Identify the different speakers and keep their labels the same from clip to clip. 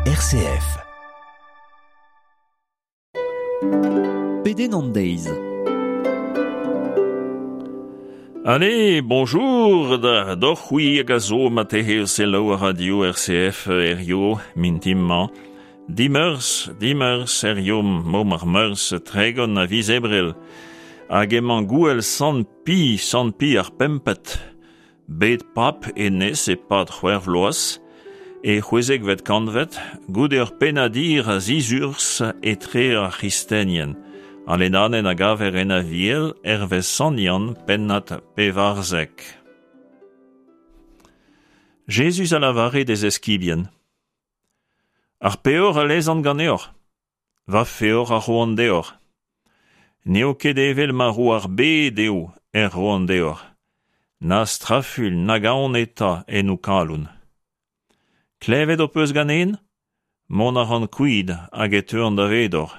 Speaker 1: RCF.
Speaker 2: Pedenn an deiz.
Speaker 3: Allez, bonjour da doc'h c'hwi hag a zo ma tehe o selaou ar radio RCF herrio mintin-mañ. Dimeurzh, dimeurzh herrio mom ar meurzh 30 a viz Ebrel. Hag emañ gouel Sant Pi, Sant Pi ar pempet. Bet pab hennezh e-pad c'hwec'h vloaz, e c'hwezekvet kantved, goude ur pennad hir a zizurzh etre ar c'hristenien. Al lennadenn a gaver en Aviel hervez Sant Yann, pennad 14. Jezuz a lavare d'e zeskibien: Ar peoc'h a lezan ganeoc'h, va feoc'h a roan deoc'h. N'eo ket evel ma ro ar bed eo er roan deoc'h. Na strafuilh nag aon eta en ho kalon. Klevet ho peus ganen? Mont a ran kuit hag e teuan davedoc'h.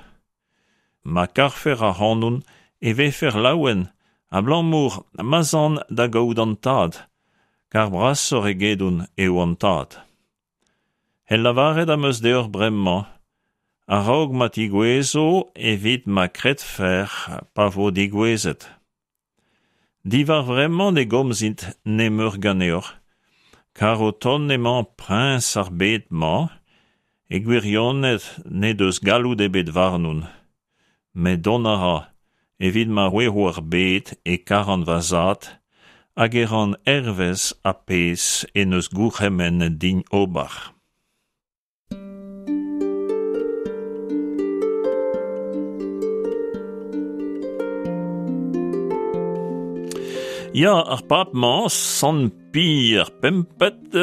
Speaker 3: Ma karfec'h ac'hanon e vefec'h laouen abalamour ma'z an da gaout an Tad, kar brasoc'h egedon eo an Tad. Hel lavaret am eus deoc'h bremañ, a-raok ma tigouezho evit ma kredfec'h pa vo degouezhet. Diwar vremañ ne gomzit nemeur ganeoc'h, kar o tont emañ priñs ar bed-mañ, e gwirionez n'he deus galloud ebet warnon. Met dont a ra, evit ma c'hwezho ar bed e karan va zad, hag e ran hervez ar pezh en deus gourc'hemennet din ober. Ya, ar pab-mañ, Sant Pi ar pempet,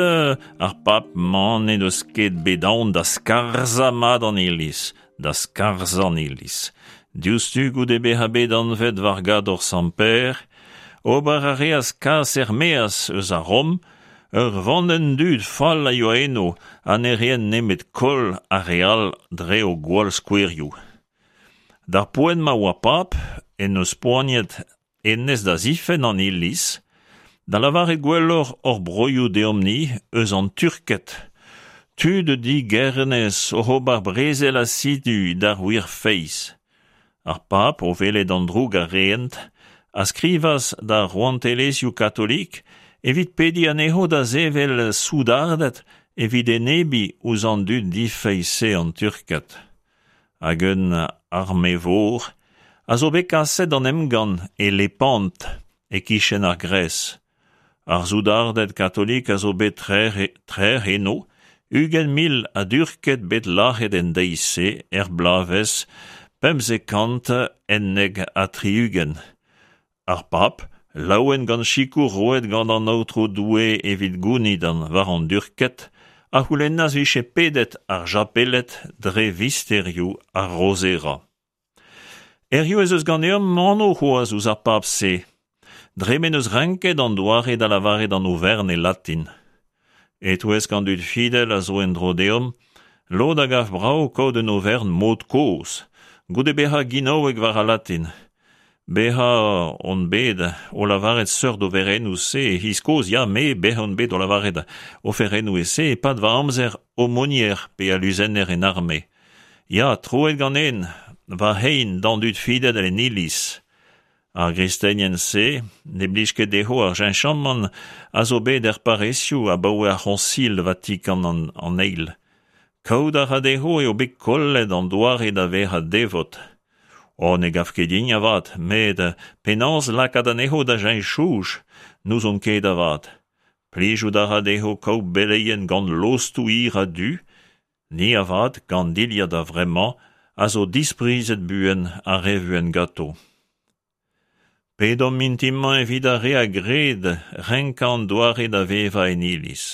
Speaker 3: ar pab-mañ n'en deus ket bet aon da skarzhañ mat an iliz, da skarzhañ an iliz. Diouzhtu goude bezañ bet anvet war gador Sant Pêr, ober a reas kas er-maez eus a Rom Ur vandenn dud fall a yoa eno ha ne reent nemet koll ar re all dre o gwall skouerioù. D'ar poent ma oa pab en deus poaniet hennezh da zifenn an Iliz, da lavaret gwelloc'h hor broioù deomp-ni eus an Turked, tud digernez oc'h ober brezel asidu d'ar wir feiz. Ar pab, o welet an droug a reent, a skrivas d'ar rouantelezhioù katolik evit pediñ anezho da sevel soudarded evit enebiñ ouzh an dud difeiz-se an Turked. Hag un arme-vor a zo bet kaset d'an emgann e Lepant, e-kichen ar Gres. Ar soudarded katolik a zo bet trec'h eno, 20,000 a Durked bet lazhet en deiz-se er bloavezh 1571. Ar pab, laouen gant sikour roet gant an Aotrou Doue evit gounit war an Durked, a c'houlennas 'vije pedet ar japeled dre visterioù ar Rozera. Hiziv ez eus ganeomp anv c'hoazh ouzh ar pab-se, dre m'en deus renket an doare da lavaret an oferenn e latin. E-touesk an dud fidel a zo en-dro deomp, lod a gav brav kaout un oferenn mod kozh, goude bezañ ginaouek war al latin. Bezañ on bet o lavaret seurt oferennoù-se e-c'hiz kozh, ya, me, bezañ on bet o lavaret oferennoù e-se e-pad va amzer aumônier pe aluzenner en arme. Ya, troet ganen va c'hein d'an dud fidel en iliz. Ar gristenien-se ne blij ket dezho ar cheñchamant a zo bet er parrezioù abaoe ar C'hoñsil Vatikan an Eil. Kaout a ra dezho eo bet kollet an doare da vezañ devot. Oh, ne gav ket din avat, met penaos lakaat anezho da cheñch soñj, n'ouzon ket avat. Plijout a ra dezho kaout beleien gant lostoù hir ha du, Ni avat, gant dilhad a-vremañ, a zo disprizet buan ha re vuan ganto. Pedomp mintin-mañ evit ar re a gred renkañ an doare da vevañ en iliz.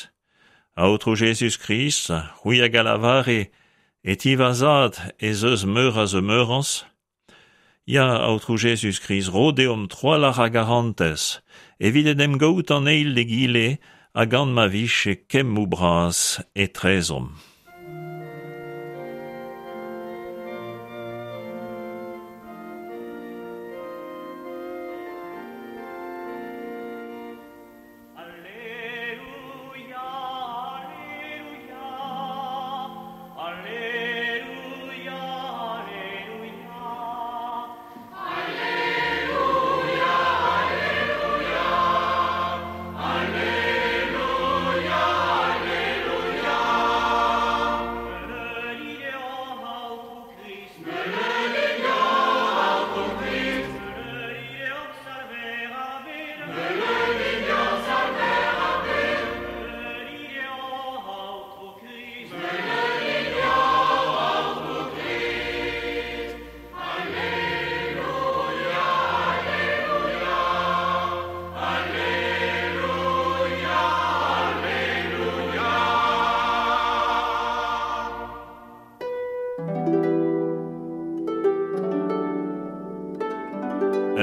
Speaker 3: Aotrou Jezuz-Krist, c'hwi hag a lavare e ti va zad ez eus meur a zemeurañs, Ya, Aotrou Jezuz-Krist, ro deomp trawalc'h a garantez evit en em gaout an eil d'egile ha gant ma vije kemmoù bras etrezomp.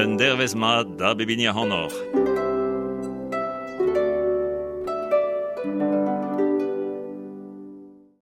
Speaker 3: Un dervezh mat da bep hini ac'hanoc'h.